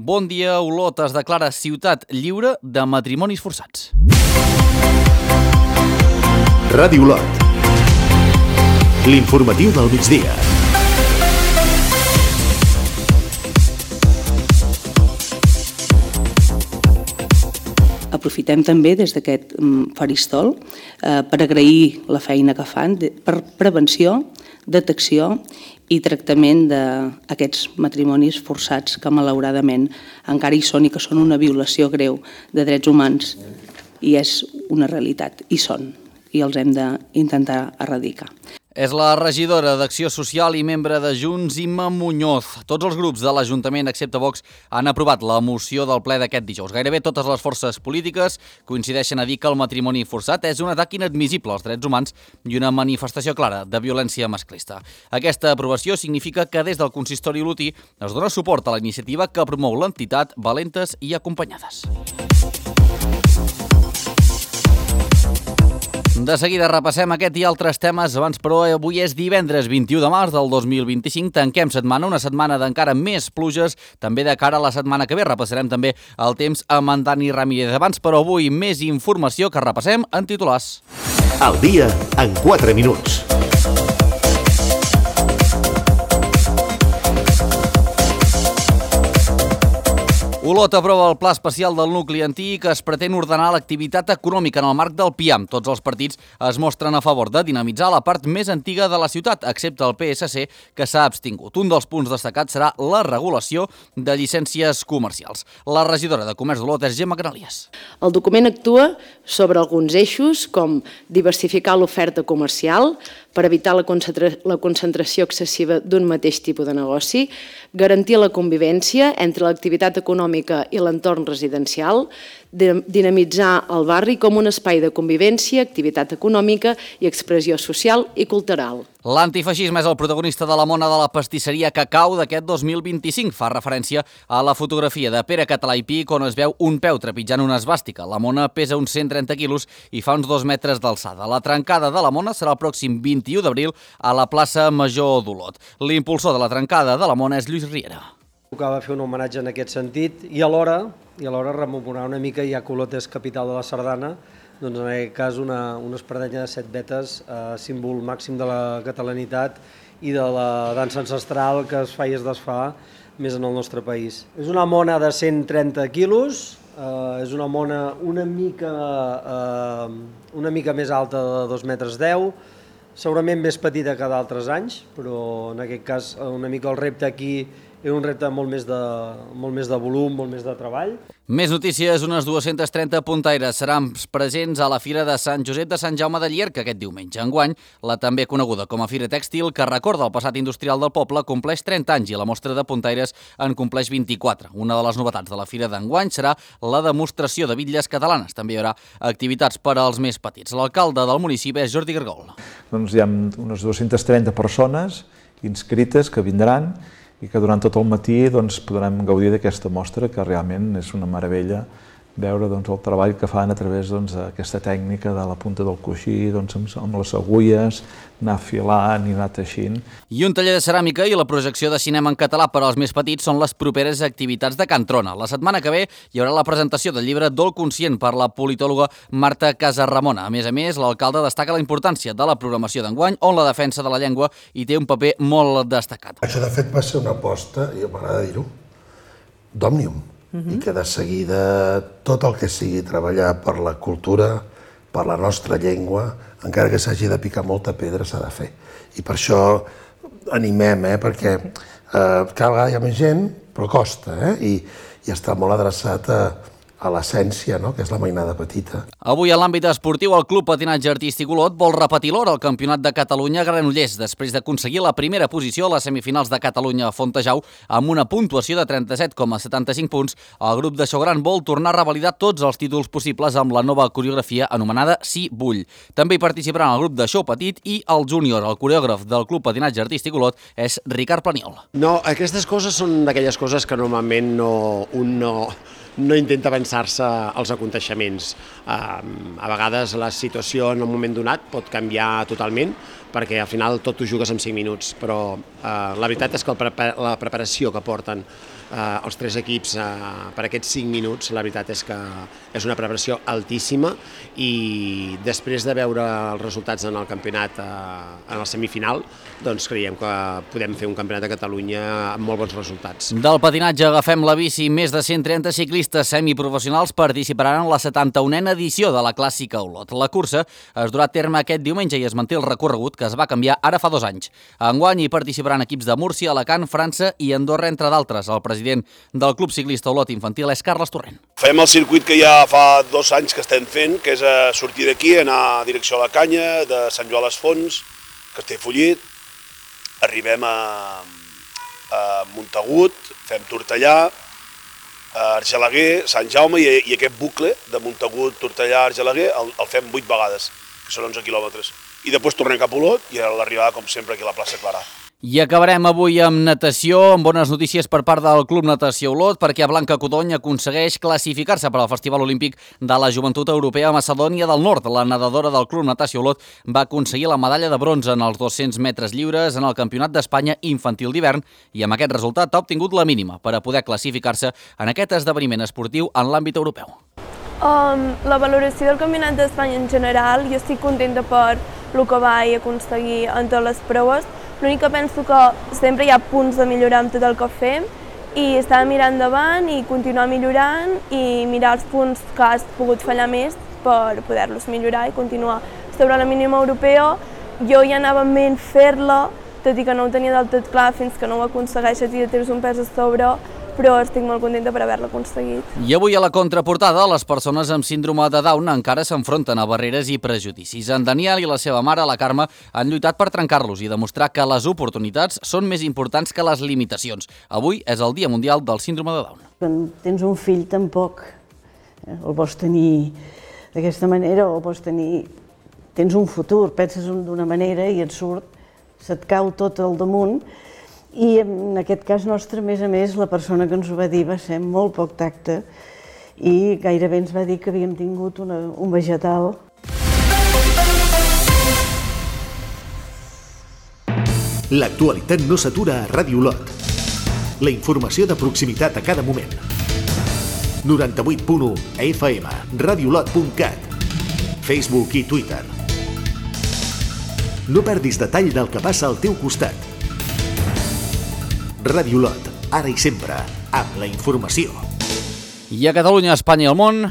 Bon dia, Olot es declara ciutat lliure de matrimonis forçats. Ràdio Olot. L'informatiu del migdia. Aprofitem també des d'aquest faristol per agrair la feina que fan per prevenció, detecció i tractament d'aquests matrimonis forçats que malauradament encara hi són i que són una violació greu de drets humans i és una realitat, i són, i els hem d'intentar erradicar. És la regidora d'Acció Social i membre de Junts, Imma Muñoz. Tots els grups de l'Ajuntament, excepte Vox, han aprovat la moció del ple d'aquest dijous. Gairebé totes les forces polítiques coincideixen a dir que el matrimoni forçat és un atac inadmissible als drets humans i una manifestació clara de violència masclista. Aquesta aprovació significa que des del consistori olotí es dona suport a la iniciativa que promou l'entitat Valentes i Acompanyades. De seguida repassem aquest i altres temes, abans però avui és divendres 21 de març del 2025, tanquem setmana, una setmana d'encara més pluges, també de cara a la setmana que ve. Repassarem també el temps amb en Dani Ramírez. Abans però avui més informació que repassem en titulars. El dia en 4 minuts. Olot aprova el pla especial del nucli antic que es pretén ordenar l'activitat econòmica en el marc del PIAM. Tots els partits es mostren a favor de dinamitzar la part més antiga de la ciutat, excepte el PSC, que s'ha abstingut. Un dels punts destacats serà la regulació de llicències comercials. La regidora de Comerç d'Olot és Gemma Canalies. El document actua sobre alguns eixos com diversificar l'oferta comercial per evitar la concentració excessiva d'un mateix tipus de negoci, garantir la convivència entre l'activitat econòmica i l'entorn residencial, dinamitzar el barri com un espai de convivència, activitat econòmica i expressió social i cultural. L'antifeixisme és el protagonista de la mona de la pastisseria Cacau d'aquest 2025. Fa referència a la fotografia de Pere Català i Pic on es veu un peu trepitjant una esvàstica. La mona pesa uns 130 quilos i fa uns 2 metres d'alçada. La trencada de la mona serà el pròxim 21 d'abril a la plaça Major d'Olot. L'impulsor de la trencada de la mona és Lluís Riera. Tocava fer un homenatge en aquest sentit i alhora rememorar una mica, ja que Olot és capital de la sardana, doncs en aquest cas una espardenya de 7 vetes, símbol màxim de la catalanitat i de la dansa ancestral que es fa i es desfà més en el nostre país. És una mona de 130 quilos, és una mona una mica més alta de 2,10 metres, segurament més petita que d'altres anys, però en aquest cas una mica el repte aquí és un repte molt més de volum, molt més de treball. Més notícies, unes 230 puntaires seran presents a la Fira de Sant Josep de Sant Jaume de Llierca aquest diumenge. Enguany, la també coneguda com a Fira Tèxtil, que recorda el passat industrial del poble, compleix 30 anys i la mostra de puntaires en compleix 24. Una de les novetats de la Fira d'enguany serà la demostració de bitlles catalanes. També hi haurà activitats per als més petits. L'alcalde del municipi és Jordi Gargol. Doncs hi ha unes 230 persones inscrites que vindran i que durant tot el matí podrem gaudir d'aquesta mostra, que realment és una meravella veure el treball que fan a través d'aquesta tècnica de la punta del coixí, amb les agulles, anar filant i anar teixint. I un taller de ceràmica i la projecció de cinema en català per als més petits són les properes activitats de Can Trona. La setmana que ve hi haurà la presentació del llibre Dol conscient per la politòloga Marta Casarramona. A més, l'alcalde destaca la importància de la programació d'enguany, on la defensa de la llengua hi té un paper molt destacat. Això, de fet, va ser una aposta, i m'agrada dir-ho, d'Òmnium. I que de seguida tot el que sigui treballar per la cultura, per la nostra llengua, encara que s'hagi de picar molta pedra, s'ha de fer. I per això animem, perquè cada vegada hi ha més gent, però costa, i està molt adreçat a l'essència, que és la mainada petita. Avui, en l'àmbit esportiu, el Club Patinatge Artístic Olot vol repetir l'or al Campionat de Catalunya a Granollers, després d'aconseguir la primera posició a les semifinals de Catalunya a Fontejau amb una puntuació de 37,75 punts. El grup de Xogran vol tornar a revalidar tots els títols possibles amb la nova coreografia anomenada Sí Vull. També hi participaran el grup de Xou Petit i el júnior. El coreògraf del Club Patinatge Artístic Olot és Ricard Planiol. No, aquestes coses són d'aquelles coses que normalment un no intenta pensar-se els aconteixements. A vegades la situació en un moment donat pot canviar totalment, perquè al final tot ho jugues en 5 minuts, però la veritat és que la preparació que porten els 3 equips per aquests 5 minuts, la veritat és que és una preparació altíssima i després de veure els resultats en el campionat, en el semifinal, doncs creiem que podem fer un campionat de Catalunya amb molt bons resultats. Del patinatge agafem la bici. Més de 130 ciclistes semiprofessionals participaran en la 71a edició de la Clàssica Olot. La cursa es durà a terme aquest diumenge i es manté el recorregut que es va canviar ara fa 2 anys. Enguany hi participaran equips de Múrcia, Alacant, França i Andorra, entre d'altres. El president del Club Ciclista Olot Infantil és Carles Torrent. Fem el circuit que ja fa 2 anys que estem fent, que és sortir d'aquí, anar a direcció a la Canya, de Sant Joan les Fonts, Castellfollit, arribem a Montagut, fem Tortellà, Argelaguer, Sant Jaume i aquest bucle de Montagut, Tortellà, Argelaguer el fem 8 vegades, que són 11 quilòmetres. I després tornem cap a Olot i a l'arribada, com sempre, aquí a la plaça Clarà. I acabarem avui amb natació, amb bones notícies per part del Club Natació Olot, perquè Blanca Codony aconsegueix classificar-se per al Festival Olímpic de la Joventut Europea a Macedònia del Nord. La nedadora del Club Natació Olot va aconseguir la medalla de bronze en els 200 metres lliures en el Campionat d'Espanya infantil d'hivern i amb aquest resultat ha obtingut la mínima per a poder classificar-se en aquest esdeveniment esportiu en l'àmbit europeu. La valoració del Campionat d'Espanya en general, jo estic contenta per el que vaig aconseguir en totes les proves. L'únic que penso que sempre hi ha punts de millorar amb tot el que fem i estar mirant endavant i continuar millorant i mirar els punts que has pogut fallar més per poder-los millorar i continuar sobre la mínima europea. Jo ja anava en ment fer-la, tot i que no ho tenia del tot clar fins que no ho aconsegueixes i ja tens un pes a sobre, però estic molt contenta per haver-la aconseguit. I avui a la contraportada, les persones amb síndrome de Down encara s'enfronten a barreres i prejudicis. En Daniel i la seva mare, la Carme, han lluitat per trencar-los i demostrar que les oportunitats són més importants que les limitacions. Avui és el Dia Mundial del Síndrome de Down. Quan tens un fill tampoc el vols tenir d'aquesta manera o vols tenir... Tens un futur, penses d'una manera i et surt, se't cau tot al damunt. I en aquest cas nostre, a més, la persona que ens ho va dir va ser molt poc tacte i gairebé ens va dir que havíem tingut un vegetal. L'actualitat no s'atura a Ràdio Olot. La informació de proximitat a cada moment. 98.1 FM, radiolot.cat, Facebook i Twitter. No perdis detall del que passa al teu costat. Ràdio Olot, ara i sempre, amb la informació. I a Catalunya, Espanya i el món...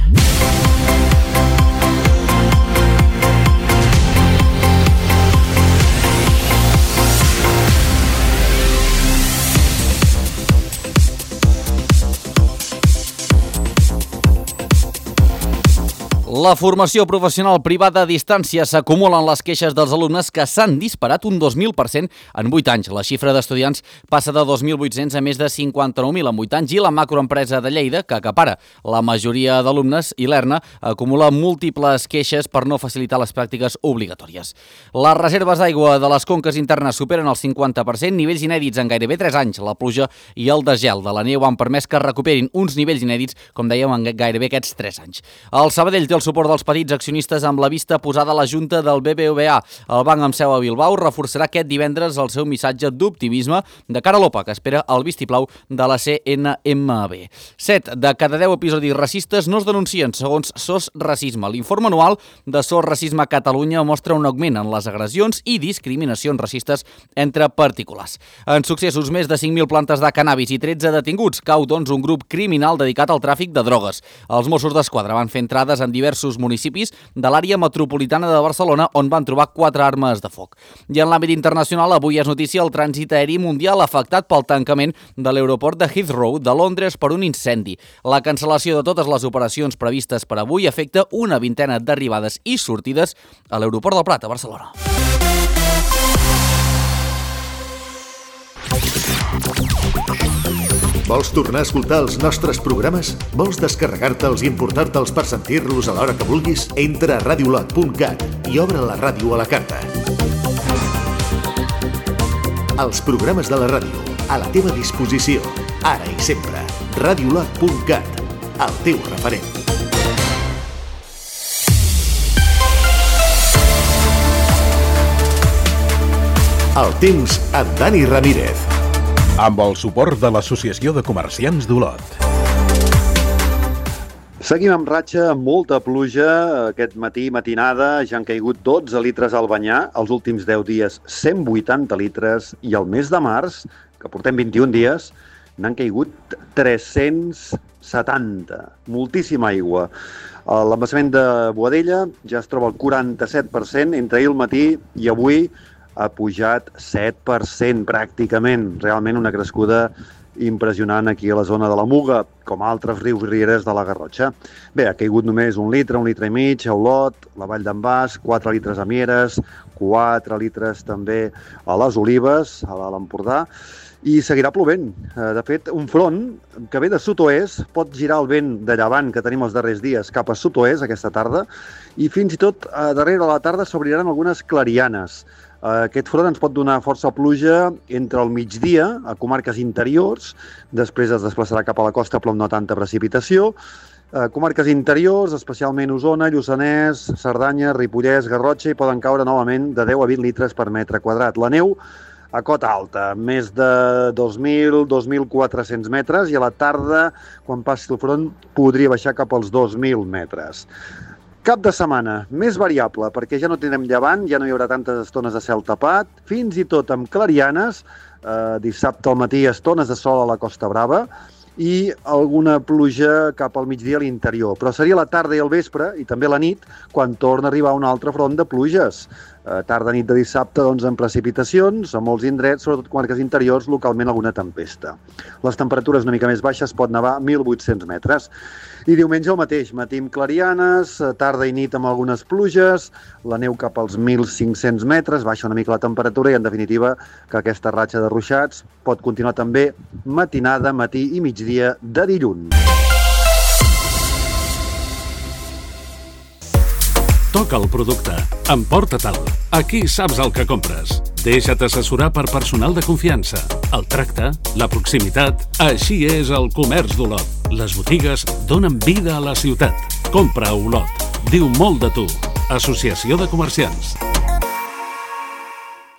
La formació professional privada a distància s'acumulen les queixes dels alumnes que s'han disparat un 2.000% en 8 anys. La xifra d'estudiants passa de 2.800 a més de 59.000 en 8 anys i la macroempresa de Lleida, que acapara la majoria d'alumnes, i l'ERNA, acumula múltiples queixes per no facilitar les pràctiques obligatòries. Les reserves d'aigua de les conques internes superen el 50%, nivells inèdits en gairebé 3 anys. La pluja i el desgel de la neu han permès que recuperin uns nivells inèdits, com dèiem, en gairebé aquests 3 anys. El Sabadell té el suport dels petits accionistes amb la vista posada a la Junta del BBVA. El banc amb seu a Bilbao reforçarà aquest divendres el seu missatge d'optimisme de cara a l'OPA, que espera el vistiplau de la CNMB. 7 de cada 10 episodis racistes no es denuncien, segons SOS Racisme. L'informe anual de SOS Racisme a Catalunya mostra un augment en les agressions i discriminacions racistes entre particulars. En successos, més de 5.000 plantes de cannabis i 13 detinguts. Cau, doncs, un grup criminal dedicat al tràfic de drogues. Els Mossos d'Esquadra van fer entrades en diversos municipis de l'àrea metropolitana de Barcelona, on van trobar 4 armes de foc. I en l'àmbit internacional, avui és notícia el trànsit aeri mundial afectat pel tancament de l'aeroport de Heathrow de Londres per un incendi. La cancel·lació de totes les operacions previstes per avui afecta una vintena d'arribades i sortides a l'aeroport del Prat, a Barcelona. Vols tornar a escoltar els nostres programes? Vols descarregar-te'ls i importar-te'ls per sentir-los a l'hora que vulguis? Entra a radiolot.cat i obre la ràdio a la carta. Els programes de la ràdio, a la teva disposició, ara i sempre. radiolot.cat, el teu referent. El temps amb Dani Ramírez. amb el suport de l'Associació de Comerciants d'Olot. Seguim amb ratxa, amb molta pluja. Aquest matí, matinada, ja han caigut 12 litres al Banyar. Els últims 10 dies, 180 litres. I el mes de març, que portem 21 dies, n'han caigut 370. Moltíssima aigua. L'embassament de Boadella ja es troba al 47%. Entre ahir al matí i avui ha pujat 7% pràcticament. Realment una crescuda impressionant aquí a la zona de la Muga, com a altres rius i rieres de la Garrotxa. Bé, ha caigut només 1 litre i mig a Olot, la Vall d'en Bas, 4 litres a Mieres, 4 litres també a les Olives, a l'Empordà, i seguirà plovent. De fet, un front que ve de sud-oest pot girar el vent de llevant que tenim els darrers dies cap a sud-oest aquesta tarda, i fins i tot darrere de la tarda s'obriran algunes clarianes. Aquest front ens pot donar força pluja entre el migdia a comarques interiors, després es desplaçarà cap a la costa però amb no tanta precipitació. Comarques interiors, especialment Osona, Lluçanès, Cerdanya, Ripollès, Garrotxa, hi poden caure novament de 10 a 20 litres per metre quadrat. La neu a cota alta, més de 2.000-2.400 metres, i a la tarda, quan passi el front, podria baixar cap als 2.000 metres. Cap de setmana, més variable, perquè ja no tindrem llevant, ja no hi haurà tantes estones de cel tapat, fins i tot amb clarianes, dissabte al matí estones de sol a la Costa Brava i alguna pluja cap al migdia a l'interior. Però seria la tarda i el vespre, i també la nit, quan torna a arribar un altre front de pluges. Tarda-nit de dissabte, doncs, amb precipitacions, a molts indrets, sobretot comarques interiors, localment alguna tempesta. Les temperatures una mica més baixes, pot nevar 1.800 metres. I diumenge el mateix, matí amb clarianes, tarda i nit amb algunes pluges, la neu cap als 1.500 metres, baixa una mica la temperatura i, en definitiva, que aquesta ratxa de ruixats pot continuar també matinada, matí i migdia de dilluns. Toca el producte, emporta-te'l. Aquí saps el que compres. Deixa't assessorar per personal de confiança. El tracte, la proximitat, així és el comerç d'Olot. Les botigues donen vida a la ciutat. Compra a Olot. Diu molt de tu. Associació de Comerciants.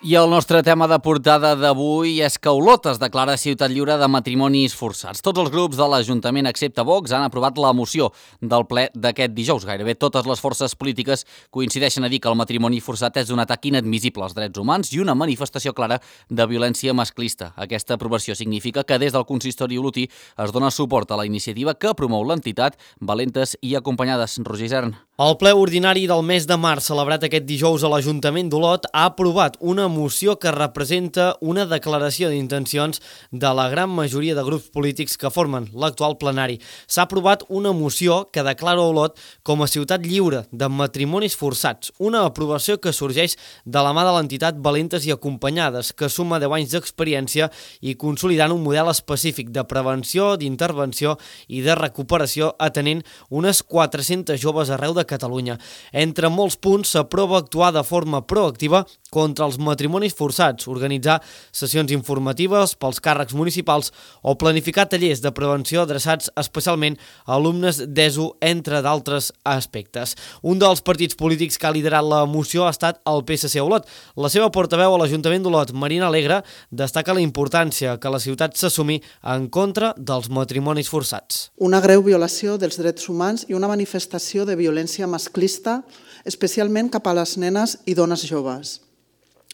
I el nostre tema de portada d'avui és que Olot es declara ciutat lliure de matrimonis forçats. Tots els grups de l'Ajuntament, excepte Vox, han aprovat la moció del ple d'aquest dijous. Gairebé totes les forces polítiques coincideixen a dir que el matrimoni forçat és un atac inadmissible als drets humans i una manifestació clara de violència masclista. Aquesta aprovació significa que des del consistori olotí es dona suport a la iniciativa que promou l'entitat Valentes i Acompanyades. Roger Isern. El ple ordinari del mes de març, celebrat aquest dijous a l'Ajuntament d'Olot, ha aprovat una moció que representa una declaració d'intencions de la gran majoria de grups polítics que formen l'actual plenari. S'ha aprovat una moció que declara Olot com a ciutat lliure de matrimonis forçats, una aprovació que sorgeix de la mà de l'entitat Valentes i Acompanyades, que suma 10 anys d'experiència i consolidant un model específic de prevenció, d'intervenció i de recuperació atenent unes 400 joves arreu de Catalunya. Entre molts punts s'aprova actuar de forma proactiva contra els matrimonis forçats, organitzar sessions informatives pels càrrecs municipals o planificar tallers de prevenció adreçats especialment a alumnes d'ESO, entre d'altres aspectes. Un dels partits polítics que ha liderat la moció ha estat el PSC Olot. La seva portaveu a l'Ajuntament d'Olot, Marina Alegre, destaca la importància que la ciutat s'assumi en contra dels matrimonis forçats. Una greu violació dels drets humans i una manifestació de violència masclista, especialment cap a les nenes i dones joves.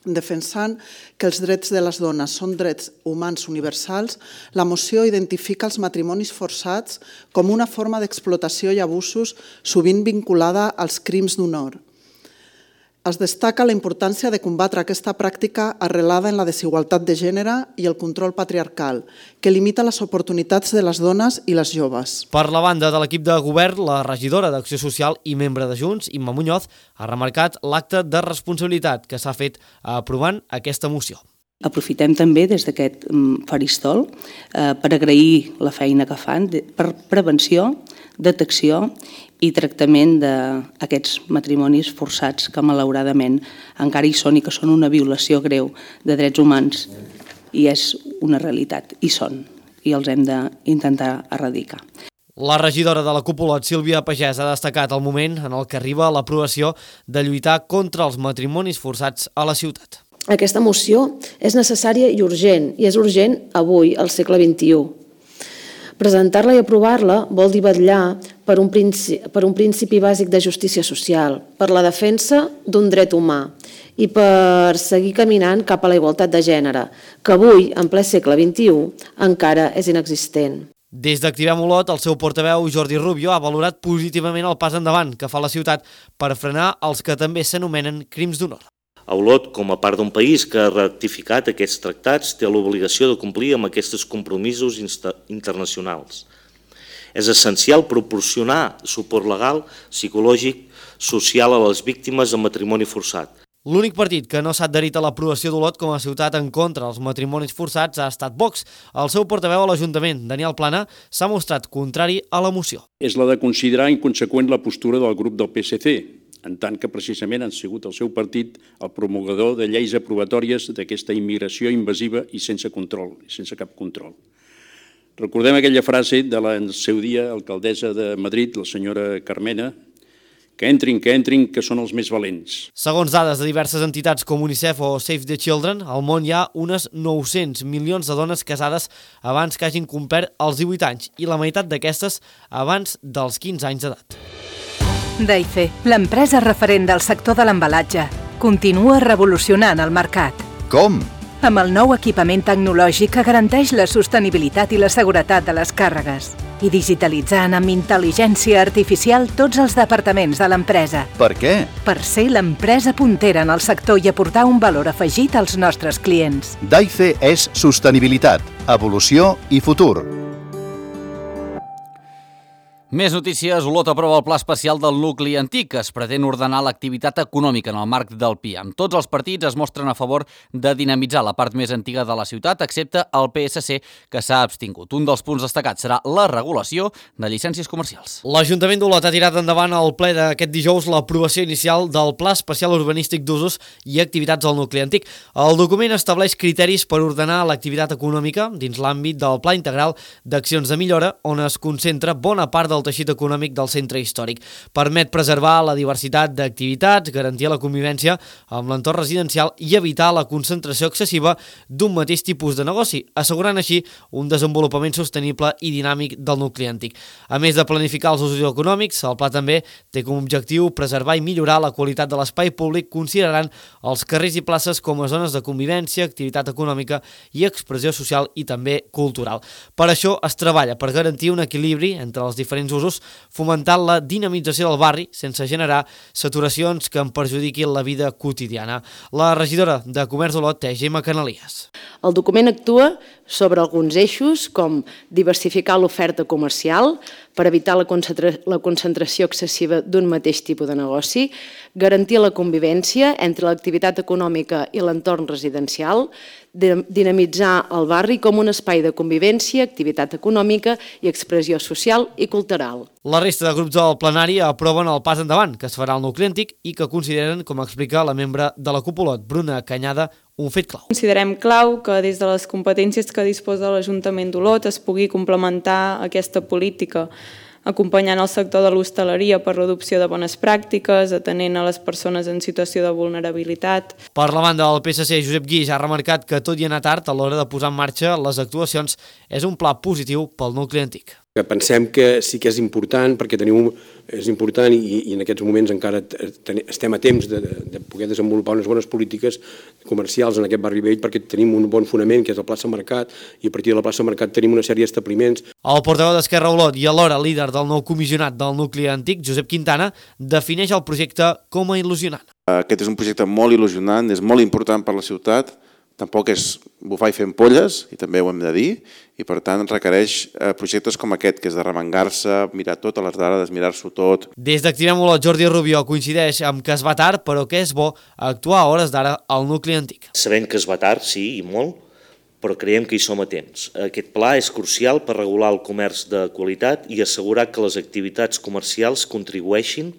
Defensant que els drets de les dones són drets humans universals, la moció identifica els matrimonis forçats com una forma d'explotació i abusos sovint vinculada als crims d'honor. Es destaca la importància de combatre aquesta pràctica arrelada en la desigualtat de gènere i el control patriarcal, que limita les oportunitats de les dones i les joves. Per la banda de l'equip de govern, la regidora d'Acció Social i membre de Junts, Imma Muñoz, ha remarcat l'acte de responsabilitat que s'ha fet aprovant aquesta moció. Aprofitem també des d'aquest faristol per agrair la feina que fan per prevenció, detecció i tractament d'aquests matrimonis forçats que malauradament encara hi són i que són una violació greu de drets humans, i és una realitat, i són, i els hem d'intentar erradicar. La regidora de la CUP, Sílvia Pagès, ha destacat el moment en el que arriba l'aprovació de lluitar contra els matrimonis forçats a la ciutat. aquesta moció és necessària i urgent, i és urgent avui, al segle XXI. Presentar-la i aprovar-la vol dir vetllar per un principi bàsic de justícia social, per la defensa d'un dret humà i per seguir caminant cap a la igualtat de gènere, que avui, en ple segle XXI, encara és inexistent. Des d'Activem Olot, el seu portaveu Jordi Rubio ha valorat positivament el pas endavant que fa la ciutat per frenar els que també s'anomenen crims d'honor. Olot, com a part d'un país que ha ratificat aquests tractats, té l'obligació de complir amb aquests compromisos internacionals. És essencial proporcionar suport legal, psicològic, social a les víctimes de matrimoni forçat. L'únic partit que no s'ha adherit a l'aprovació d'Olot com a ciutat en contra dels matrimonis forçats ha estat Vox. El seu portaveu a l'Ajuntament, Daniel Plana, s'ha mostrat contrari a la moció. És la de considerar inconseqüent la postura del grup del PSC, en tant que precisament han sigut el seu partit el promulgador de lleis aprovatòries d'aquesta immigració invasiva i sense control, sense cap control. Recordem aquella frase de la, en el seu dia, alcaldessa de Madrid, la senyora Carmena, que entrin, que són els més valents. Segons dades de diverses entitats com UNICEF o Save the Children, al món hi ha unes 900 milions de dones casades abans que hagin complert els 18 anys i la meitat d'aquestes abans dels 15 anys d'edat. Daife, l'empresa referent del sector de l'embalatge, continua revolucionant el mercat. Com? Amb el nou equipament tecnològic que garanteix la sostenibilitat i la seguretat de les càrregues i digitalitzant amb intel·ligència artificial tots els departaments de l'empresa. Per què? Per ser l'empresa puntera en el sector i aportar un valor afegit als nostres clients. Daife és sostenibilitat, evolució i futur. Més notícies. Olot aprova el pla especial del nucli antic, que es pretén ordenar l'activitat econòmica en el marc del PIAM. Tots els partits es mostren a favor de dinamitzar la part més antiga de la ciutat, excepte el PSC, que s'ha abstingut. Un dels punts destacats serà la regulació de llicències comercials. L'Ajuntament d'Olot ha tirat endavant al ple d'aquest dijous l'aprovació inicial del Pla Especial Urbanístic d'Usos i Activitats al nucli antic. El document estableix criteris per ordenar l'activitat econòmica dins l'àmbit del Pla Integral d'Accions de Millora, on es concentra bona part del teixit econòmic del centre històric. Permet preservar la diversitat d'activitats, garantir la convivència amb l'entorn residencial i evitar la concentració excessiva d'un mateix tipus de negoci, assegurant així un desenvolupament sostenible i dinàmic del nucli antic. A més de planificar els usos econòmics, el pla també té com a objectiu preservar i millorar la qualitat de l'espai públic, considerant els carrers i places com a zones de convivència, activitat econòmica i expressió social i també cultural. Per això es treballa per garantir un equilibri entre els diferents usos, fomentant la dinamització del barri sense generar saturacions que en perjudiquin la vida quotidiana. La regidora de Comerç d'Olot és Gemma Canalies. El document actua sobre alguns eixos com diversificar l'oferta comercial per evitar la concentració excessiva d'un mateix tipus de negoci, garantir la convivència entre l'activitat econòmica i l'entorn residencial, dinamitzar el barri com un espai de convivència, activitat econòmica i expressió social i cultural. La resta de grups del plenari aproven el pas endavant que es farà al nucli antic i que consideren, com explica la membre de la Cúpula, Bruna Canyada, un fet clau. Considerem clau que des de les competències que disposa l'Ajuntament d'Olot es pugui complementar aquesta política, acompanyant el sector de l'hostaleria per l'adopció de bones pràctiques, atenent a les persones en situació de vulnerabilitat. Per la banda del PSC, Josep Guix ha remarcat que tot i anar tard a l'hora de posar en marxa les actuacions és un pla positiu pel nucli antic. Pensem que sí que és important perquè és important i en aquests moments encara estem a temps de poder desenvolupar unes bones polítiques comercials en aquest barri vell perquè tenim un bon fonament que és la plaça Mercat i a partir de la plaça Mercat tenim una sèrie d'establiments. El portaveu d'Esquerra Olot i alhora líder del nou comissionat del nucli antic, Josep Quintana, defineix el projecte com a il·lusionant. Aquest és un projecte molt il·lusionant, és molt important per la ciutat, tampoc és bufar i fer ampolles, i també ho hem de dir, i per tant requereix projectes com aquest, que és de remengar-se, mirar totes les dades, mirar-s'ho tot. Des d'Activem Olot, Jordi Rubio coincideix amb que es va tard, però que és bo actuar a hores d'ara al nucli antic. Sabem que es va tard, sí, i molt, però creiem que hi som a temps. Aquest pla és crucial per regular el comerç de qualitat i assegurar que les activitats comercials contribueixin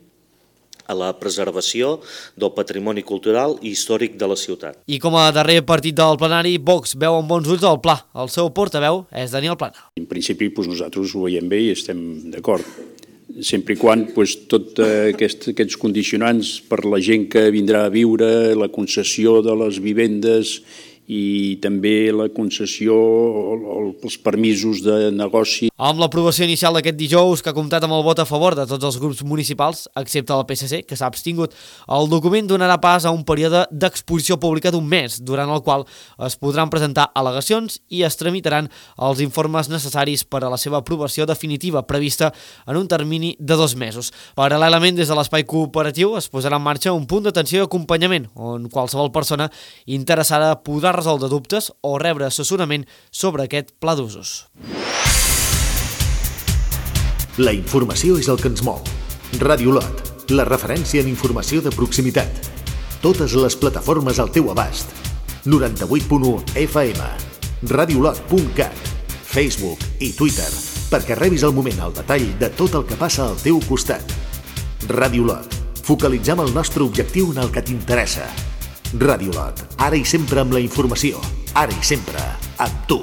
a la preservació del patrimoni cultural i històric de la ciutat. I com a darrer partit del plenari, Vox veu amb bons ulls el pla. El seu portaveu és Daniel Plana. En principi nosaltres ho veiem bé i estem d'acord. sempre i quan tots aquests condicionants per la gent que vindrà a viure, la concessió de les vivendes i també la concessió o els permisos de negoci. Amb l'aprovació inicial d'aquest dijous, que ha comptat amb el vot a favor de tots els grups municipals, excepte el PSC, que s'ha abstingut, el document donarà pas a un període d'exposició pública d'un mes, durant el qual es podran presentar al·legacions i es tramitaran els informes necessaris per a la seva aprovació definitiva, prevista en un termini de 2 mesos. Paral·lelament, des de l'espai cooperatiu es posarà en marxa un punt d'atenció i acompanyament, on qualsevol persona interessada podrà resoldre dubtes o rebre assessorament sobre aquest pla d'usos. La informació és el que ens mou. Ràdio Lot, la referència en informació de proximitat. Totes les plataformes al teu abast. 98.1 FM, radiolot.cat, Facebook i Twitter, perquè rebis al moment al detall de tot el que passa al teu costat. Ràdio Lot, focalitzem el nostre objectiu en el que t'interessa. Ràdio Lot, ara i sempre amb la informació, ara i sempre amb tu.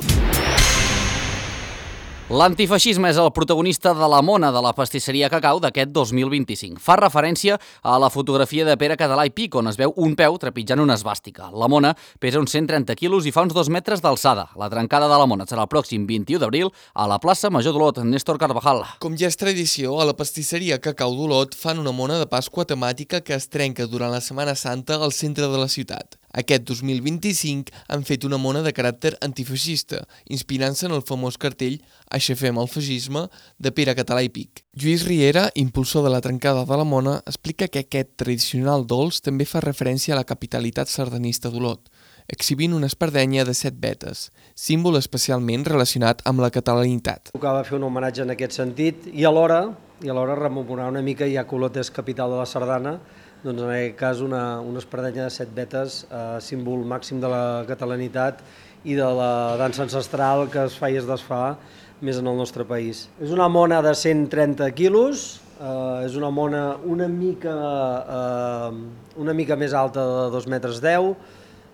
L'antifeixisme és el protagonista de la mona de la pastisseria Cacau d'aquest 2025. Fa referència a la fotografia de Pere Català i Pic, on es veu un peu trepitjant una esvàstica. La mona pesa uns 130 quilos i fa uns 2 metres d'alçada. La trencada de la mona serà el pròxim 21 d'abril a la plaça Major d'Olot. Néstor Carvajal. Com ja és tradició, a la pastisseria Cacau d'Olot fan una mona de Pasqua temàtica que es trenca durant la Setmana Santa al centre de la ciutat. Aquest 2025 han fet una mona de caràcter antifeixista, inspirant-se en el famós cartell Aixafem el feixisme de Pere Català i Pic. Lluís Riera, impulsor de la trencada de la mona, explica que aquest tradicional dolç també fa referència a la capitalitat sardanista d'Olot, exhibint una espardenya de 7 vetes, símbol especialment relacionat amb la catalanitat. Tocava fer un homenatge en aquest sentit i alhora rememorar una mica, ja que Olot és capital de la sardana, doncs en aquest cas una espardenya de 7 vetes, símbol màxim de la catalanitat i de la dansa ancestral que es fa i es desfà més en el nostre país. És una mona de 130 quilos, és una mona una mica més alta de 2,10 metres,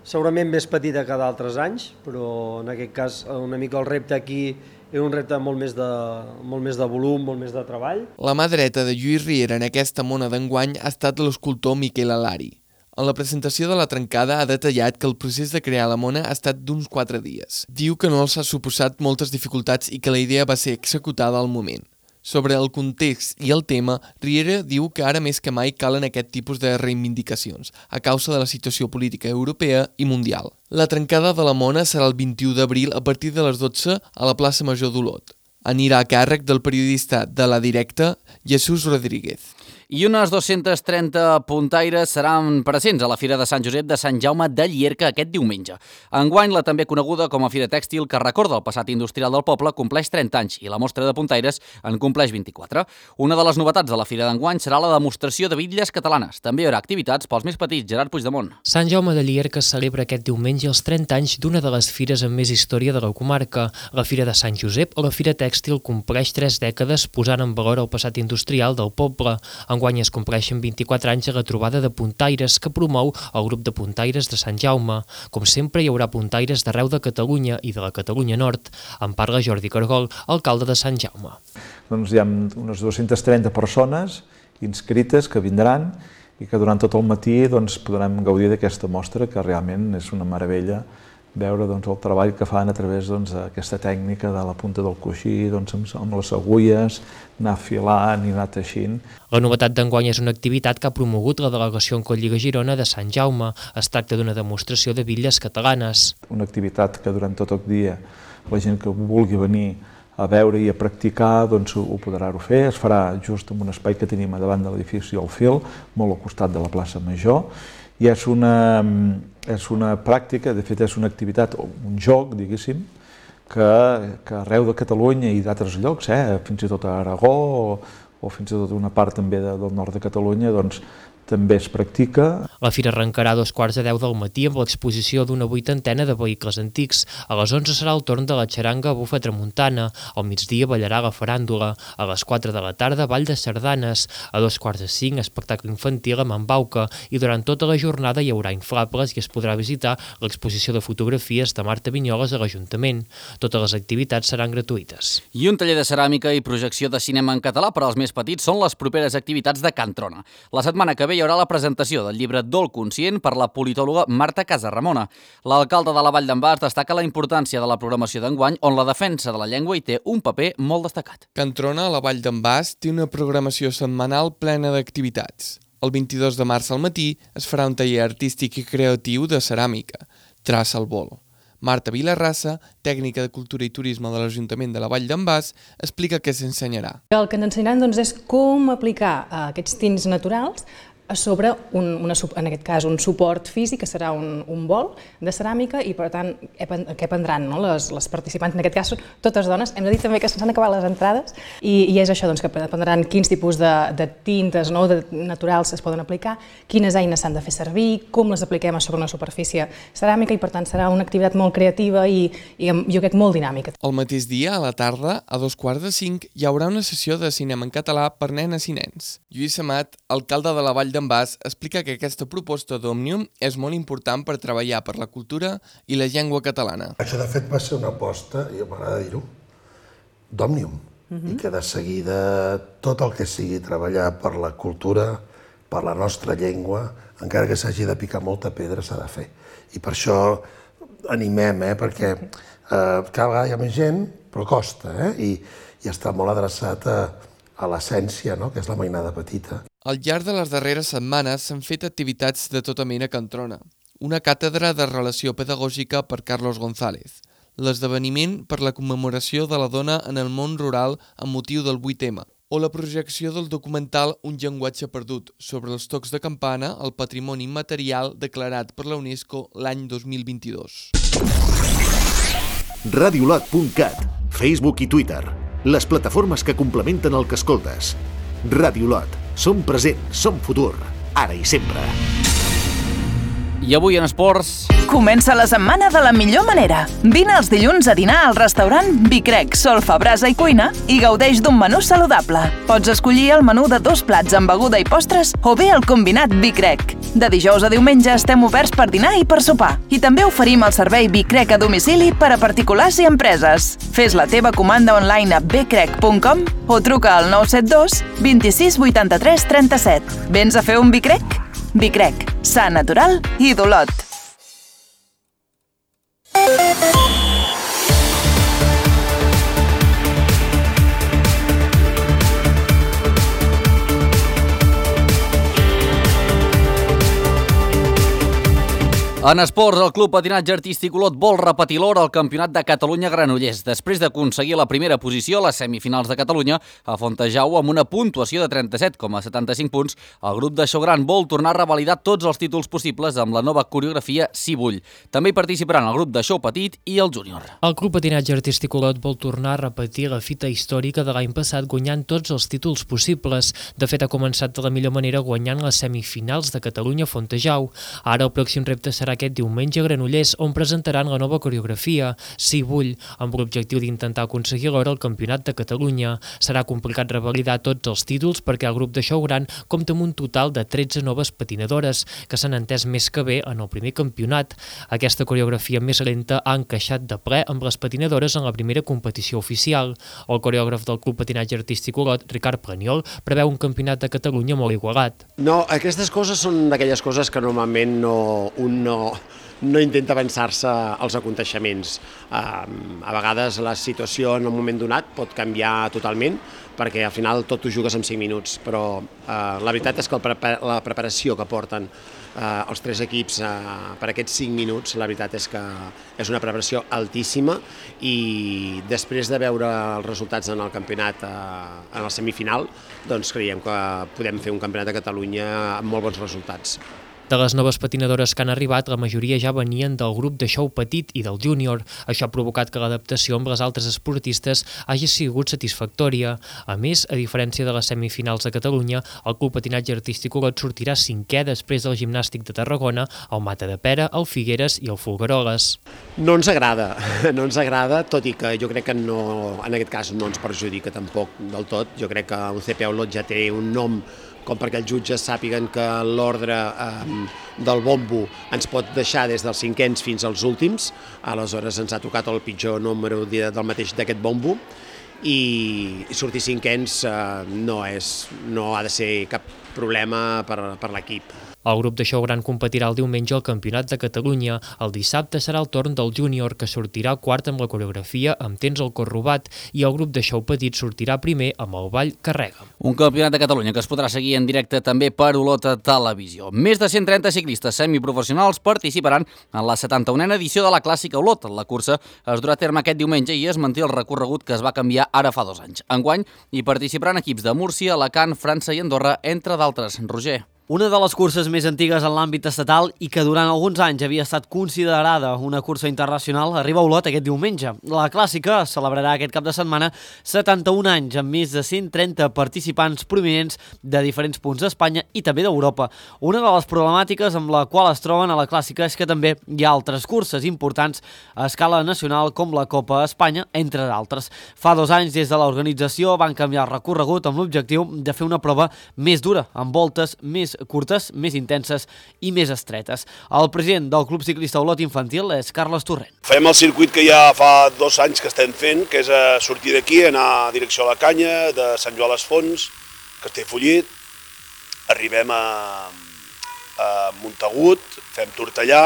segurament més petita que d'altres anys, però en aquest cas una mica el repte aquí és un repte molt més de volum, molt més de treball. La mà dreta de Lluís Riera en aquesta mona d'enguany ha estat l'escultor Miquel Alari. En la presentació de la trencada ha detallat que el procés de crear la mona ha estat d'uns 4 dies. Diu que no els ha suposat moltes dificultats i que la idea va ser executada al moment. Sobre el context i el tema, Riera diu que ara més que mai calen aquest tipus de reivindicacions, a causa de la situació política europea i mundial. La trencada de la mona serà el 21 d'abril a partir de les 12 a la plaça Major d'Olot. Anirà a càrrec del periodista de La Directa, Jesús Rodríguez. I unes 230 puntaires seran presents a la Fira de Sant Josep de Sant Jaume de Llierca aquest diumenge. Enguany, la també coneguda com a Fira Tèxtil, que recorda el passat industrial del poble, compleix 30 anys i la mostra de puntaires en compleix 24. Una de les novetats de la Fira d'enguany serà la demostració de bitlles catalanes. També hi haurà activitats pels més petits. Gerard Puigdemont. Sant Jaume de Llierca celebra aquest diumenge els 30 anys d'una de les fires amb més història de la comarca. La Fira de Sant Josep o la Fira Tèxtil compleix 3 dècades posant en valor el passat industrial del poble. Enguany es compleixen 24 anys a la trobada de puntaires que promou el grup de puntaires de Sant Jaume. Com sempre, hi haurà puntaires d'arreu de Catalunya i de la Catalunya Nord. En parla Jordi Cargol, alcalde de Sant Jaume. Doncs hi ha unes 230 persones inscrites que vindran i que durant tot el matí podrem gaudir d'aquesta mostra, que realment és una meravella veure el treball que fan a través d'aquesta tècnica de la punta del coixí, amb les agulles, anar filant i anar teixint. La novetat d'enguany és una activitat que ha promogut la delegació en Cotlliga Girona de Sant Jaume. Es tracta d'una demostració de bitlles catalanes. Una activitat que durant tot el dia la gent que vulgui venir a veure i a practicar ho podrà fer. Es farà just en un espai que tenim davant de l'edifici El Fil, molt al costat de la plaça Major, i és una pràctica, de fet és una activitat, un joc, diguéssim, que arreu de Catalunya i d'altres llocs, fins i tot a Aragó o fins i tot una part també del nord de Catalunya, també es practica. La fira arrencarà a 2:15 del matí amb l'exposició d'una 80ena de vehicles antics. A les 11 serà el torn de la xaranga Bufa Tramuntana. Al migdia ballarà la faràndula. A les 4 de la tarda, ball de sardanes. A 2:45, espectacle infantil amb embauca. I durant tota la jornada hi haurà inflables i es podrà visitar l'exposició de fotografies de Marta Vinyoles a l'Ajuntament. Totes les activitats seran gratuïtes. I un taller de ceràmica i projecció de cinema en català per als més petits són les properes activitats de Can Trona. La setmana que ve hi haurà la presentació del llibre Dol Conscient per la politòloga Marta Casaramona. L'alcalde de la Vall d'en Bas destaca la importància de la programació d'enguany, on la defensa de la llengua hi té un paper molt destacat. Can Trona, a la Vall d'en Bas, té una programació setmanal plena d'activitats. El 22 de març al matí es farà un taller artístic i creatiu de ceràmica, Traça al Bol. Marta Vilarrassa, tècnica de Cultura i Turisme de l'Ajuntament de la Vall d'en Bas, explica què s'ensenyarà. El que ens ensenyaran és com aplicar aquests tints naturals sobre, en aquest cas, un suport físic, que serà un bol de ceràmica, i per tant, què aprendran les participants, en aquest cas són totes dones. Hem de dir també que s'han acabat les entrades, i és això, que aprendran quins tipus de tintes naturals es poden aplicar, quines eines s'han de fer servir, com les apliquem sobre una superfície ceràmica, i per tant serà una activitat molt creativa i jo crec molt dinàmica. El mateix dia, a la tarda, a 2:45, hi haurà una sessió de cinema en català per nenes i nens. Lluís Amat, alcalde de la Vall d'en Bas, explica que aquesta proposta d'Òmnium és molt important per treballar per la cultura i la llengua catalana. Això, de fet, va ser una aposta, i m'agrada dir-ho, d'Òmnium, i que de seguida tot el que sigui treballar per la cultura, per la nostra llengua, encara que s'hagi de picar molta pedra, s'ha de fer. I per això animem, perquè cada vegada hi ha més gent, però costa, i està molt adreçat a l'essència, que és la mainada petita. Al llarg de les darreres setmanes s'han fet activitats de tota mena a Can Trona. Una càtedra de relació pedagògica per Carlos González, l'esdeveniment per la commemoració de la dona en el món rural amb motiu del 8M, o la projecció del documental Un llenguatge perdut sobre els tocs de campana, el patrimoni immaterial declarat per la UNESCO l'any 2022. Radiolot.cat, Facebook i Twitter, les plataformes que complementen el que escoltes. Radiolot, som present, som futur, ara i sempre. I avui en esports... Comença la setmana de la millor manera. Vine els dilluns a dinar al restaurant Bicrec, Solfa, Brasa i Cuina i gaudeix d'un menú saludable. Pots escollir el menú de 2 plats amb beguda i postres o bé el combinat Bicrec. De dijous a diumenge estem oberts per dinar i per sopar. I també oferim el servei Bicrec a domicili per a particulars i empreses. Fes la teva comanda online a bcrec.com o truca al 972 26 83 37. Vens a fer un Bicrec? Bicrec, sa natural i d'Olot. En esports, el Club Patinatge Artístic Olot vol repetir l'or al Campionat de Catalunya Granollers. Després d'aconseguir la primera posició a les semifinals de Catalunya, a Fontejau amb una puntuació de 37,75 punts, el grup de Xogran vol tornar a revalidar tots els títols possibles amb la nova coreografia Si Vull. També hi participaran el grup de Xou Petit i el Júnior. El Club Patinatge Artístic Olot vol tornar a repetir la fita històrica de l'any passat guanyant tots els títols possibles. De fet, ha començat de la millor manera guanyant les semifinals de Catalunya a Fontejau. Ara el pròxim repte serà aquest diumenge a Granollers, on presentaran la nova coreografia, Si Vull, amb l'objectiu d'intentar aconseguir l'or al Campionat de Catalunya. Serà complicat revalidar tots els títols perquè el grup de Xogran compta amb un total de 13 noves patinadores, que s'han entès més que bé en el primer campionat. Aquesta coreografia més lenta ha encaixat de ple amb les patinadores en la primera competició oficial. El coreògraf del Club Patinatge Artístic Olot, Ricard Praniol, preveu un campionat de Catalunya molt igualat. No, aquestes coses són d'aquelles coses que normalment no intenta avançar-se als aconteixements. A vegades la situació en un moment donat pot canviar totalment perquè al final tot ho jugues en 5 minuts, però la veritat és que la preparació que porten els 3 equips per aquests 5 minuts, la veritat és que és una preparació altíssima i després de veure els resultats en el campionat, en el semifinal, doncs creiem que podem fer un campionat de Catalunya amb molt bons resultats. De les noves patinadores que han arribat, la majoria ja venien del grup de xou petit i del júnior. Això ha provocat que l'adaptació amb les altres esportistes hagi sigut satisfactòria. A més, a diferència de les semifinals de Catalunya, el Club Patinatge Artístic Olot sortirà 5è després del Gimnàstic de Tarragona, el Matadepera, el Figueres i el Folgueroles. No ens agrada, tot i que jo crec que no, en aquest cas no ens perjudica tampoc del tot. Jo crec que un CPA Olot ja té un nom com perquè els jutges sàpiguen que l'ordre del bombo ens pot deixar des dels 5ens fins als últims, aleshores ens ha tocat el pitjor número del mateix d'aquest bombo, i sortir 5ens no ha de ser cap problema per l'equip. El grup de xou gran competirà el diumenge al Campionat de Catalunya. El dissabte serà el torn del júnior, que sortirà quart amb la coreografia amb temps al cor robat, i el grup de xou petit sortirà primer amb el ball Carrega. Un Campionat de Catalunya que es podrà seguir en directe també per Olot Televisió. Més de 130 ciclistes semiprofessionals participaran en la 71a edició de la Clàssica Olot. La cursa es durà a terme aquest diumenge i es manté el recorregut que es va canviar ara fa 2 anys. Enguany hi participaran equips de Múrcia, Alacant, França i Andorra, entre d'altres. Roger. Una de les curses més antigues en l'àmbit estatal i que durant alguns anys havia estat considerada una cursa internacional arriba a Olot aquest diumenge. La Clàssica celebrarà aquest cap de setmana 71 anys amb més de 130 participants prominents de diferents punts d'Espanya i també d'Europa. Una de les problemàtiques amb la qual es troben a la Clàssica és que també hi ha altres curses importants a escala nacional com la Copa Espanya, entre d'altres. Fa 2 anys des de l'organització van canviar el recorregut amb l'objectiu de fer una prova més dura, amb voltes més curtes, més intenses i més estretes. El president del Club Ciclista Olot Infantil és Carles Torrent. Fem el circuit que ja fa 2 anys que estem fent, que és sortir d'aquí, anar a direcció a la Canya, de Sant Joan les Fonts, Castellfollit, arribem a Montagut, fem Tortellà,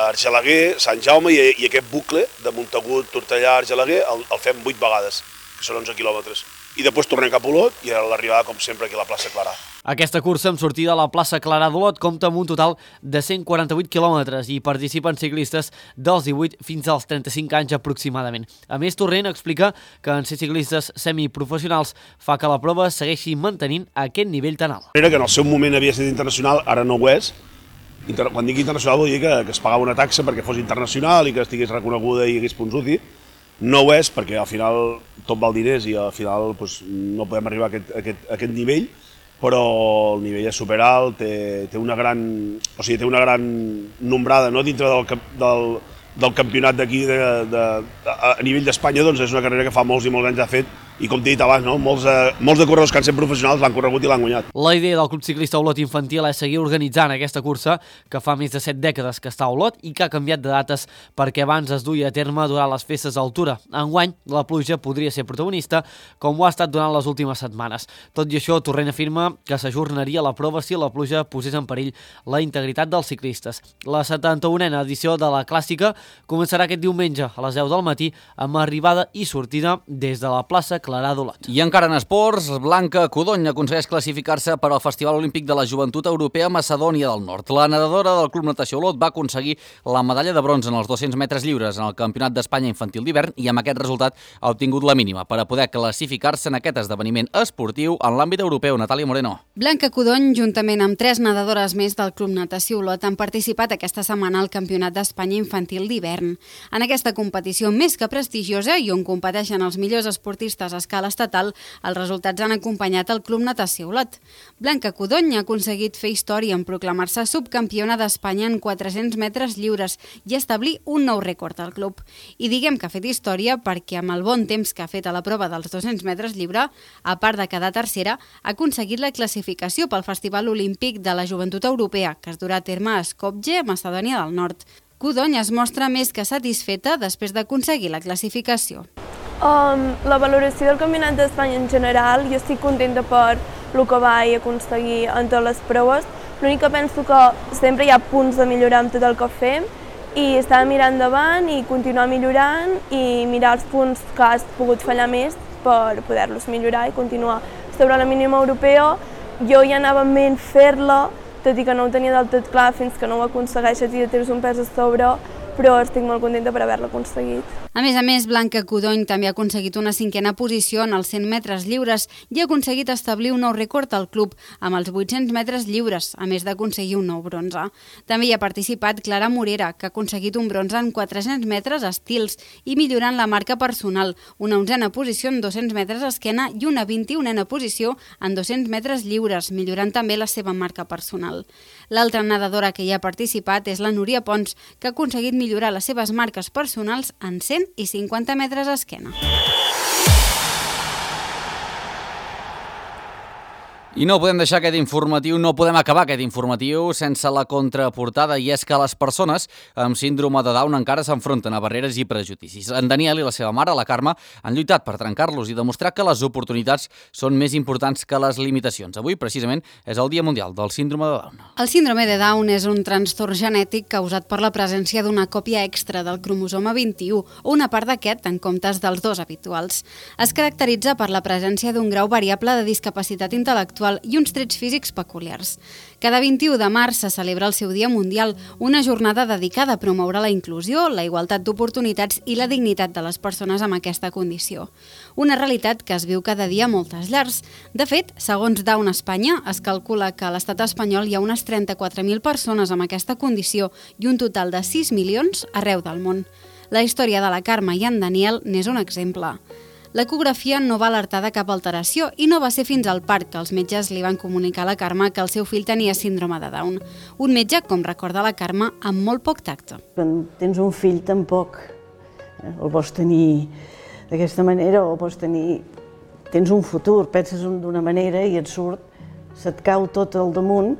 Argelaguer, Sant Jaume, i aquest bucle de Montagut, Tortellà, Argelaguer el fem 8 vegades, que són 11 quilòmetres. I després tornem cap a Olot i a l'arribada, com sempre, aquí a la plaça Clarà. Aquesta cursa amb sortida a la plaça Clarà d'Olot compta amb un total de 148 quilòmetres i participen ciclistes dels 18 fins als 35 anys aproximadament. A més, Torrent explica que en ser ciclistes semiprofessionals fa que la prova segueixi mantenint aquest nivell tan alt. Que en el seu moment havia estat internacional, ara no ho és. Quan dic internacional vol dir que es pagava una taxa perquè fos internacional i que estigués reconeguda i hagués punts UCI. No ho és perquè al final tot val diners i al final no podem arribar a aquest nivell, però el nivell és superalt, té una gran nombrada dintre del campionat d'aquí a nivell d'Espanya. Doncs és una carrera que fa molts i molts anys ha fet i, com t'he dit abans, molts de corredors que han set professionals l'han corregut i l'han guanyat. La idea del Club Ciclista Olot Infantil és seguir organitzant aquesta cursa que fa més de 7 dècades que està a Olot i que ha canviat de dates perquè abans es duia a terme durant les festes d'altura. Enguany, la pluja podria ser protagonista, com ho ha estat durant les últimes setmanes. Tot i això, Torrent afirma que s'ajornaria la prova si la pluja posés en perill la integritat dels ciclistes. La 71a edició de la Clàssica començarà aquest diumenge a les 10 del matí amb arribada i sortida des de la plaça Clarà d'Olot. I encara en esports, Blanca Codony aconsegueix classificar-se per al Festival Olímpic de la Joventut Europea a Macedònia del Nord. La nedadora del Club Natació Olot va aconseguir la medalla de bronze en els 200 metres lliures en el Campionat d'Espanya Infantil d'hivern i amb aquest resultat ha obtingut la mínima per a poder classificar-se en aquest esdeveniment esportiu en l'àmbit europeu. Natàlia Moreno. Blanca Codony, juntament amb 3 nedadores més del Club Natació Olot, han participat aquesta setmana al Campionat d'Espanya Infantil d'hivern. En aquesta competició més que prestigiosa i on competeixen els millors esportistes a escala estatal, els resultats han acompanyat el Club Natació Olot. Blanca Codony ha aconseguit fer història en proclamar-se subcampiona d'Espanya en 400 metres lliures i establir un nou rècord al club. I diguem que ha fet història perquè amb el bon temps que ha fet a la prova dels 200 metres lliure, a part de quedar tercera, ha aconseguit la classificació pel Festival Olímpic de la Joventut Europea, que es durà a terme a Skopje, Macedònia del Nord. Codony es mostra més que satisfeta després d'aconseguir la classificació. La valoració del Campionat d'Espanya en general, jo estic contenta per el que vaig aconseguir en totes les proves. L'únic que penso que sempre hi ha punts de millorar amb tot el que fem i estar mirant endavant i continuar millorant i mirar els punts que has pogut fallar més per poder-los millorar i continuar. Sobre la mínima europea, jo ja anava en ment fer-la, tot i que no ho tenia del tot clar fins que no ho aconsegueixes i ja tens un pes a sobre, però estic molt contenta per haver-la aconseguit. A més, Blanca Codony també ha aconseguit una 5a posició en els 100 metres lliures i ha aconseguit establir un nou rècord al club amb els 800 metres lliures, a més d'aconseguir un nou bronze. També hi ha participat Clara Morera, que ha aconseguit un bronze en 400 metres estils i millorant la marca personal, una 11a posició en 200 metres esquena i una 21a posició en 200 metres lliures, millorant també la seva marca personal. L'altra nedadora que hi ha participat és la Núria Pons, que ha aconseguit millorar les seves marques personals en 100 i 50 metres esquena. I no podem deixar aquest informatiu, no podem acabar aquest informatiu sense la contraportada, i és que les persones amb síndrome de Down encara s'enfronten a barreres i prejudicis. En Daniel i la seva mare, la Carme, han lluitat per trencar-los i demostrar que les oportunitats són més importants que les limitacions. Avui, precisament, és el Dia Mundial del Síndrome de Down. El síndrome de Down és un trastorn genètic causat per la presència d'una còpia extra del cromosoma 21 o una part d'aquest en comptes dels 2 habituals. Es caracteritza per la presència d'un grau variable de discapacitat intel·lectual i uns trets físics peculiars. Cada 21 de març se celebra el seu Dia Mundial, una jornada dedicada a promoure la inclusió, la igualtat d'oportunitats i la dignitat de les persones amb aquesta condició. Una realitat que es viu cada dia a moltes llars. De fet, segons Down Espanya, es calcula que a l'estat espanyol hi ha unes 34.000 persones amb aquesta condició i un total de 6 milions arreu del món. La història de la Carme i en Daniel n'és un exemple. L'ecografia no va alertar de cap alteració i no va ser fins al part que els metges li van comunicar a la Carme que el seu fill tenia síndrome de Down. Un metge, com recorda la Carme, amb molt poc tacte. Quan tens un fill tampoc el vols tenir d'aquesta manera o vols tenir... Tens un futur, penses d'una manera i et surt, se't cau tot al damunt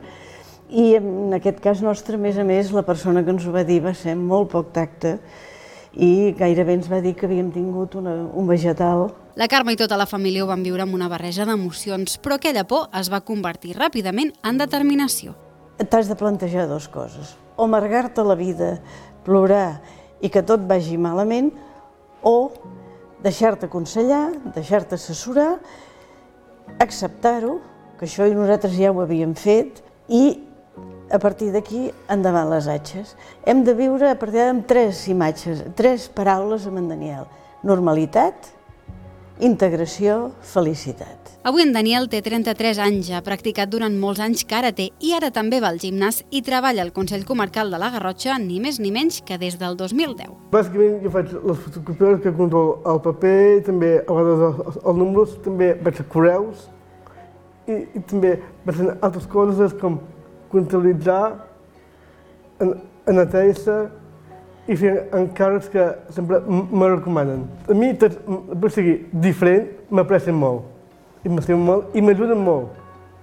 i en aquest cas nostre, a més, la persona que ens ho va dir va ser molt poc tacte i gairebé ens va dir que havíem tingut un vegetal. La Carme i tota la família ho van viure amb una barreja d'emocions, però aquella por es va convertir ràpidament en determinació. T'has de plantejar 2 coses. O amargar-te la vida, plorar i que tot vagi malament, o deixar-te aconsellar, deixar-te assessorar, acceptar-ho, que això nosaltres ja ho havíem fet, i a partir d'aquí, endavant les atxes. Hem de viure a partir d'ara amb 3 imatges, 3 paraules amb en Daniel. Normalitat, integració, felicitat. Avui en Daniel té 33 anys, ha practicat durant molts anys karate i ara també va al gimnàs i treballa al Consell Comarcal de la Garrotxa ni més ni menys que des del 2010. Bàsicament jo faig les fotocopies que controlo el paper, també a vegades els números, també vaig a correus i també vaig a altres coses com comptabilitzar, en atèixer i fer encàrrecs que sempre me recomanen. A mi, per seguir diferent, m'aprecien molt, i m'estimen molt, i m'ajuden molt,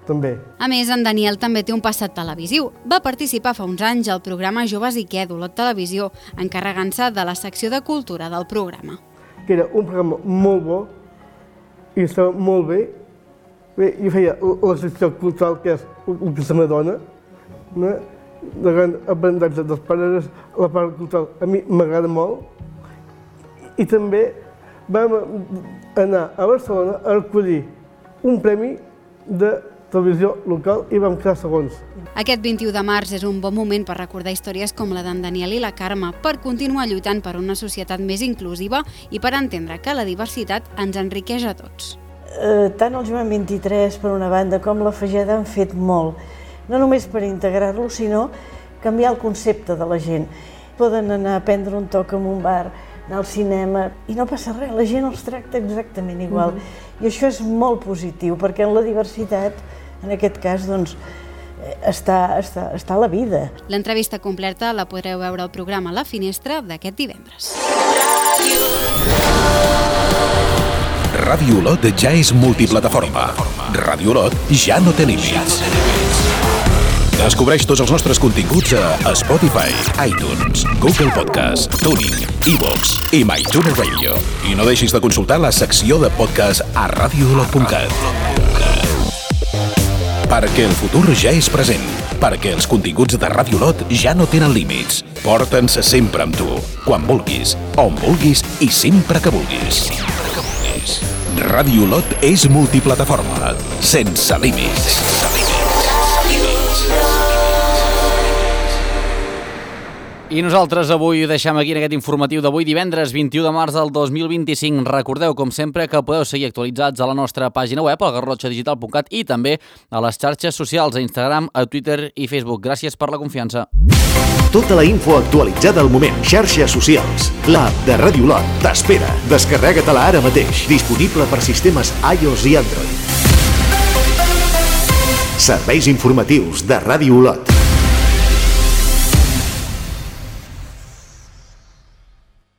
també. A més, en Daniel també té un passat televisiu. Va participar fa uns anys al programa Joves i què, d'Olot Televisió, encarregant-se de la secció de cultura del programa. Que era un programa molt bo, i estava molt bé. Bé, jo feia la secció cultural, que és el que se m'adona, de gran aprenentatge dels pares, la part cultural a mi m'agrada molt, i també vam anar a Barcelona a recollir un premi de televisió local i vam quedar segons. Aquest 21 de març és un bon moment per recordar històries com la d'en Daniel i la Carme, per continuar lluitant per una societat més inclusiva i per entendre que la diversitat ens enriqueix a tots. Tant el Joan 23, per una banda, com la Fageda han fet molt, no només per integrar-lo, sinó canviar el concepte de la gent. Poden anar a prendre un toc en un bar, anar al cinema, i no passa res, la gent els tracta exactament igual. I això és molt positiu, perquè en la diversitat, en aquest cas, doncs, està la vida. L'entrevista completa la podreu veure al programa La Finestra d'aquest divendres. Ràdio Olot ja és multiplataforma. Ràdio Olot ja no té límits. Descobreix tots els nostres continguts a Spotify, iTunes, Google Podcast, TuneIn, iVoox i MyTuner Radio. I no deixis de consultar la secció de podcast a radioolot.cat. Perquè el futur ja és present. Perquè els continguts de Ràdio Olot ja no tenen límits. Porta'ns sempre amb tu, quan vulguis, on vulguis i sempre que vulguis. Ràdio Olot és multiplataforma, sense límits. I nosaltres avui ho deixem aquí en aquest informatiu d'avui, divendres 21 de març del 2025. Recordeu, com sempre, que podeu seguir actualitzats a la nostra pàgina web, al garrotxadigital.cat, i també a les xarxes socials, a Instagram, a Twitter i Facebook. Gràcies per la confiança. Tota la info actualitzada al moment. Xarxes socials. L'app de Ràdio Olot t'espera. Descarrega-te-la ara mateix. Disponible per sistemes iOS i Android. Serveis informatius de Ràdio Olot.